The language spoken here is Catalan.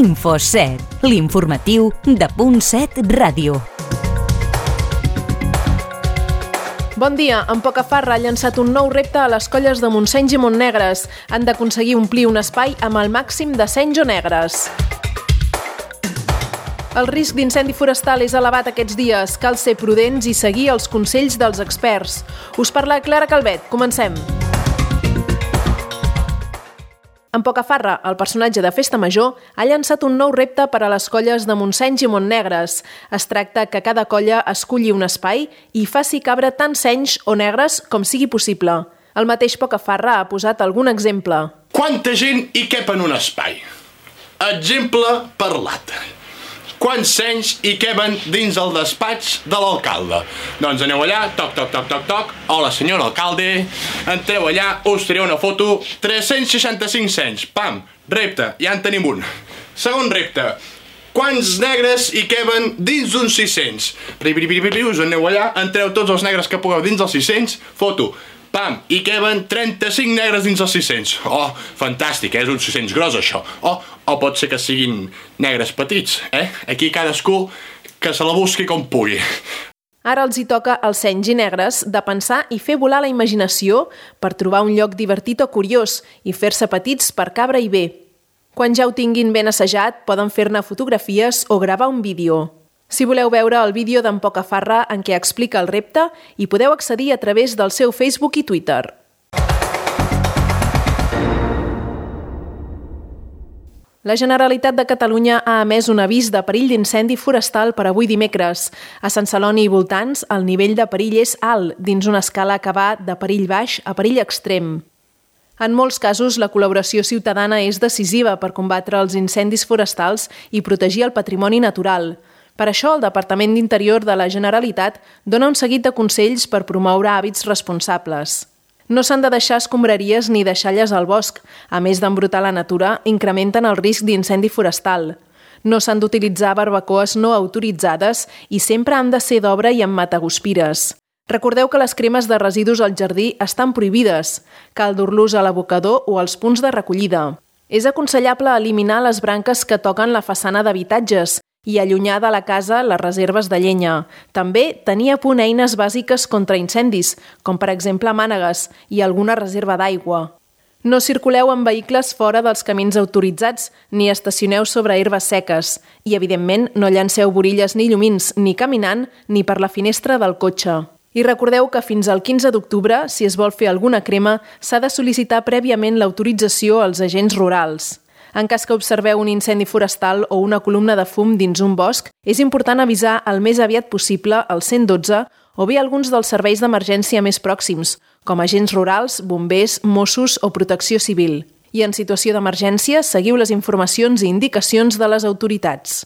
Info7, l'informatiu de Punt 7 Ràdio. Bon dia. En Pocafarra ha llançat un nou repte a les colles de Montseny i Montnegres. Han d'aconseguir omplir un espai amb el màxim de senys o negres. El risc d'incendi forestal és elevat aquests dies. Cal ser prudents i seguir els consells dels experts. Us parla Clara Calvet. Comencem. En Pocafarra, el personatge de Festa Major ha llançat un nou repte per a les colles de Montseny i Montnegres. Es tracta que cada colla esculli un espai i faci cabre tant senys o negres com sigui possible. El mateix Pocafarra ha posat algun exemple. Quanta gent hi cap en un espai? Exemple parlat. Quants senys hi queben dins el despatx de l'alcalde? Doncs aneu allà, toc, toc, toc, toc, toc. Hola, senyor alcalde. Entreu allà, us tireu una foto. 365 senys. Pam, repte, ja en tenim un. Segon repte. Quants negres hi queben dins d'uns 600? Us aneu allà, entreu tots els negres que pugueu dins dels 600. Foto. Pam, hi queben 35 negres dins els 600. Oh, fantàstic, és un 600 gros, això. O pot ser que siguin negres petits, Aquí cadascú que se la busqui com pugui. Ara els hi toca als senys i negres de pensar i fer volar la imaginació per trobar un lloc divertit o curiós i fer-se petits per cabre i bé. Quan ja ho tinguin ben assajat, poden fer-ne fotografies o gravar un vídeo. Si voleu veure el vídeo d'en Pocafarra en què explica el repte, hi podeu accedir a través del seu Facebook i Twitter. La Generalitat de Catalunya ha emès un avís de perill d'incendi forestal per avui dimecres. A Sant Celoni i voltants, el nivell de perill és alt, dins una escala que va de perill baix a perill extrem. En molts casos, la col·laboració ciutadana és decisiva per combatre els incendis forestals i protegir el patrimoni natural. Per això, el Departament d'Interior de la Generalitat dona un seguit de consells per promoure hàbits responsables. No s'han de deixar escombraries ni deixalles al bosc. A més d'embrutar la natura, incrementen el risc d'incendi forestal. No s'han d'utilitzar barbacoes no autoritzades i sempre han de ser d'obra i amb mataguspires. Recordeu que les cremes de residus al jardí estan prohibides. Cal dur-los a l'abocador o als punts de recollida. És aconsellable eliminar les branques que toquen la façana d'habitatges i allunyar de la casa les reserves de llenya. També tenir a punt eines bàsiques contra incendis, com per exemple mànegues i alguna reserva d'aigua. No circuleu amb vehicles fora dels camins autoritzats ni estacioneu sobre herbes seques i, evidentment, no llanceu borilles ni llumins ni caminant ni per la finestra del cotxe. I recordeu que fins al 15 d'octubre, si es vol fer alguna crema, s'ha de sol·licitar prèviament l'autorització als agents rurals. En cas que observeu un incendi forestal o una columna de fum dins un bosc, és important avisar el més aviat possible al 112 o bé alguns dels serveis d'emergència més pròxims, com agents rurals, bombers, Mossos o protecció civil. I en situació d'emergència, seguiu les informacions i indicacions de les autoritats.